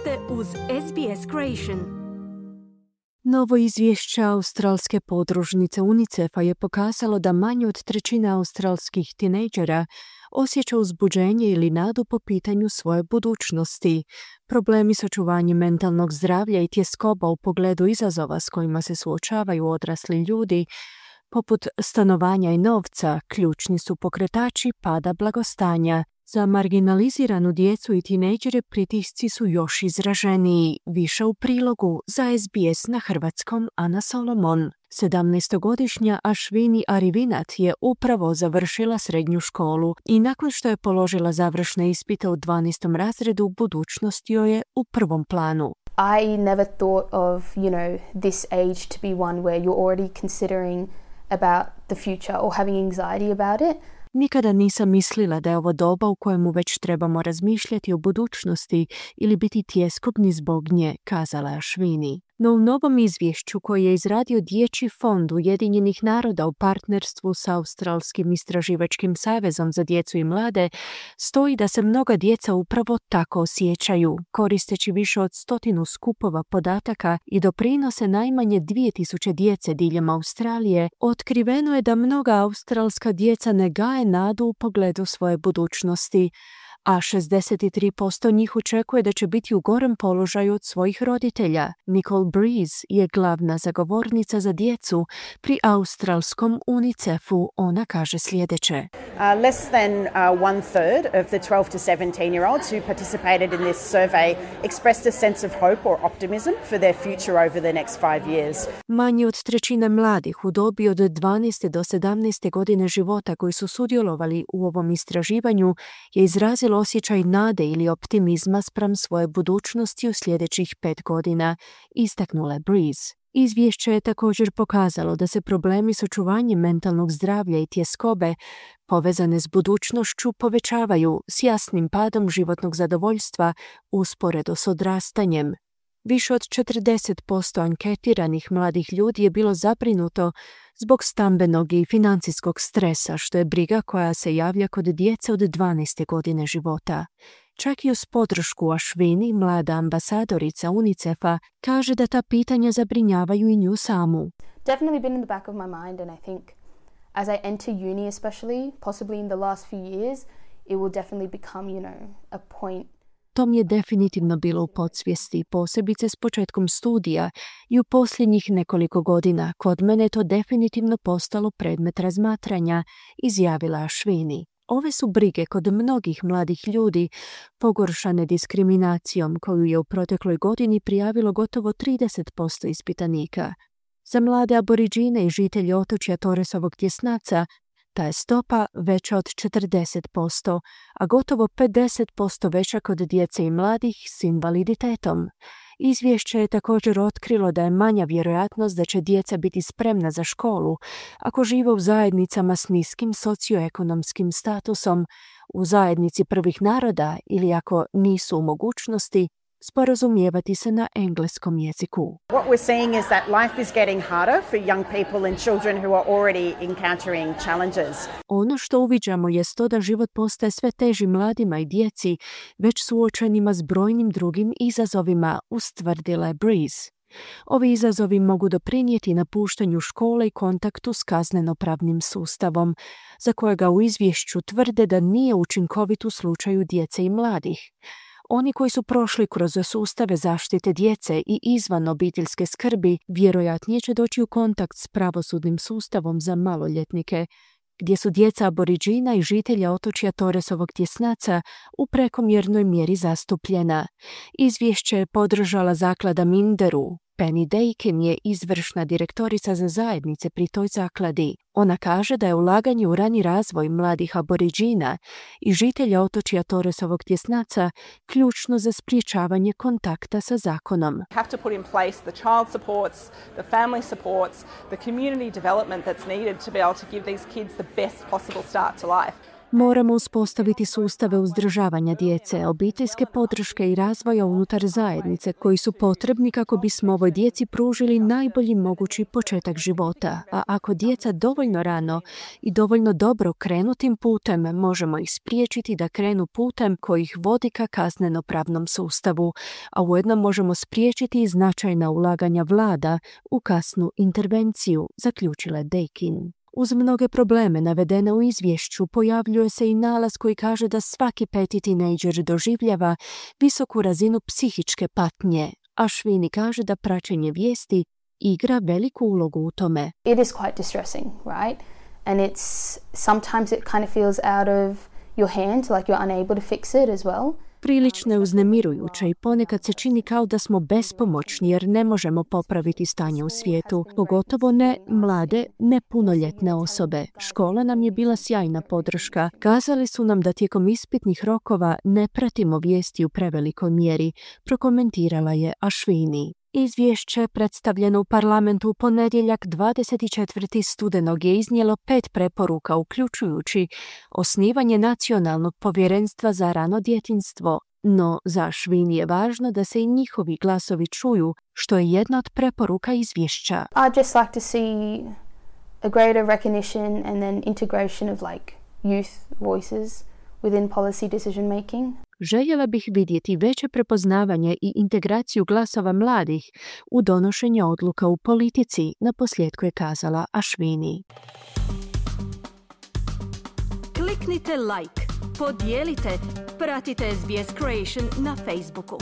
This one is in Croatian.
ste uz SBS Creation. Novo izvješće australske podružnice UNICEF-a je pokazalo da manje od trećine australskih tinejdžera osjeća uzbuđenje ili nadu po pitanju svoje budućnosti. Problemi s očuvanjem mentalnog zdravlja i tjeskoba u pogledu izazova s kojima se suočavaju odrasli ljudi, poput stanovanja i novca, ključni su pokretači pada blagostanja. Za marginaliziranu djecu i tinejdžere pritisci su još izraženiji. Više u prilogu za SBS na hrvatskom Ana Solomon. 17-godišnja Ashwini Arivinat je upravo završila srednju školu i nakon što je položila završne ispite u 12. razredu, budućnost joj je u prvom planu. I never thought of, this age to be one where you're already considering about the future or having anxiety about it. Nikada nisam mislila da je ovo doba u kojemu već trebamo razmišljati o budućnosti ili biti tjeskobni zbog nje, kazala je Ashwini. No u novom izvješću koji je izradio Dječji fond Ujedinjenih naroda u partnerstvu s Australskim istraživačkim savezom za djecu i mlade, stoji da se mnoga djeca upravo tako osjećaju, koristeći više od 100 skupova podataka i doprinose najmanje 2000 djece diljem Australije. Otkriveno je da mnoga australska djeca ne gaje nadu u pogledu svoje budućnosti, a 63% njih očekuje da će biti u gorem položaju od svojih roditelja. Nicole Breeze je glavna zagovornica za djecu pri australskom UNICEF-u. Ona kaže sljedeće. Less than 1/3 of the 12 to 17-year-olds who participated in this survey expressed a sense of hope or optimism for their future over the next 5 years. Manje od trećine mladih u dobi od 12. do 17. godine života koji su sudjelovali u ovom istraživanju je izrazilo osjećaj nade ili optimizma spram svoje budućnosti u sljedećih 5 godina, istaknula je Breeze. Izvješće je također pokazalo da se problemi s očuvanjem mentalnog zdravlja i tjeskobe povezane s budućnošću povećavaju s jasnim padom životnog zadovoljstva usporedo s odrastanjem. Više od 40% anketiranih mladih ljudi je bilo zabrinuto zbog stambenog i financijskog stresa, što je briga koja se javlja kod djece od 12. godine života. Čak i uz podršku Ashwini, mlada ambasadorica UNICEF-a, kaže da ta pitanja zabrinjavaju i nju samu. Definitely been in the back of my mind, and I think as I enter uni especially, possibly in the last few years, it will definitely become, a point. To mi je definitivno bilo u podsvijesti, posebice s početkom studija i u posljednjih nekoliko godina. Kod mene je to definitivno postalo predmet razmatranja, izjavila Ashwini. Ove su brige kod mnogih mladih ljudi pogoršane diskriminacijom koju je u protekloj godini prijavilo gotovo 30% ispitanika. Za mlade aboriđine i žitelje otočja Torresovog tjesnaca ta je stopa veća od 40%, a gotovo 50% veća kod djece i mladih s invaliditetom. Izvješće je također otkrilo da je manja vjerojatnost da će djeca biti spremna za školu ako žive u zajednicama s niskim socioekonomskim statusom, u zajednici prvih naroda ili ako nisu u mogućnosti sporazumijevati se na engleskom jeziku. What we're seeing is that life is getting harder for young people and children who are already encountering challenges. Ono što uviđamo je to da život postaje sve teži mladima i djeci, već suočenima s brojnim drugim izazovima, ustvrdila je Breeze. Ovi izazovi mogu doprinijeti napuštanju škole i kontaktu s kaznenopravnim sustavom, za kojega u izvješću tvrde da nije učinkovit u slučaju djece i mladih. Oni koji su prošli kroz sustave zaštite djece i izvan obiteljske skrbi vjerojatnije će doći u kontakt s pravosudnim sustavom za maloljetnike, gdje su djeca aboriđina i žitelja otočja Torresovog tjesnaca u prekomjernoj mjeri zastupljena. Izvješće je podržala zaklada Minderu. Penny Dakin je izvršna direktorica za zajednice pri toj zakladi. Ona kaže da je ulaganje u rani razvoj mladih aboriđina i žitelja otočja Torresovog tjesnaca ključno za sprječavanje kontakta sa zakonom. Have to put in place the child supports, the family supports, the community development that's needed to be able to give these kids the best possible start to life. Moramo uspostaviti sustave uzdržavanja djece, obiteljske podrške i razvoja unutar zajednice koji su potrebni kako bismo ovoj djeci pružili najbolji mogući početak života. A ako djeca dovoljno rano i dovoljno dobro krenu tim putem, možemo ih spriječiti da krenu putem koji ih vodi ka kazneno-pravnom sustavu, a ujedno možemo spriječiti i značajna ulaganja vlada u kasnu intervenciju, zaključila je Dakin. Uz mnoge probleme navedene u izvješću pojavljuje se i nalaz koji kaže da svaki 5. tinejdžer doživljava visoku razinu psihičke patnje, a Ashwini kaže da praćenje vijesti igra veliku ulogu u tome. It is quite distressing, right? And sometimes it kind of feels out of your hands, like you're unable to fix it as well. Prilično je uznemirujuće i ponekad se čini kao da smo bespomoćni jer ne možemo popraviti stanje u svijetu, pogotovo ne mlade, nepunoljetne osobe. Škola nam je bila sjajna podrška. Kazali su nam da tijekom ispitnih rokova ne pratimo vijesti u prevelikoj mjeri, prokomentirala je Ashwini. Izvješće predstavljeno u parlamentu u ponedjeljak 24. studenog je iznijelo 5 preporuka, uključujući osnivanje Nacionalnog povjerenstva za rano djetinjstvo. No za Ashwini je važno da se i njihovi glasovi čuju, što je jedna od preporuka izvješća. I'd just like to see a greater recognition and then integration of youth voices within policy decision making. Željela bih vidjeti veće prepoznavanje i integraciju glasova mladih u donošenje odluka u politici, naposljetku je kazala Ashwini. Kliknite like, podijelite, pratite SBS Creation na Facebooku.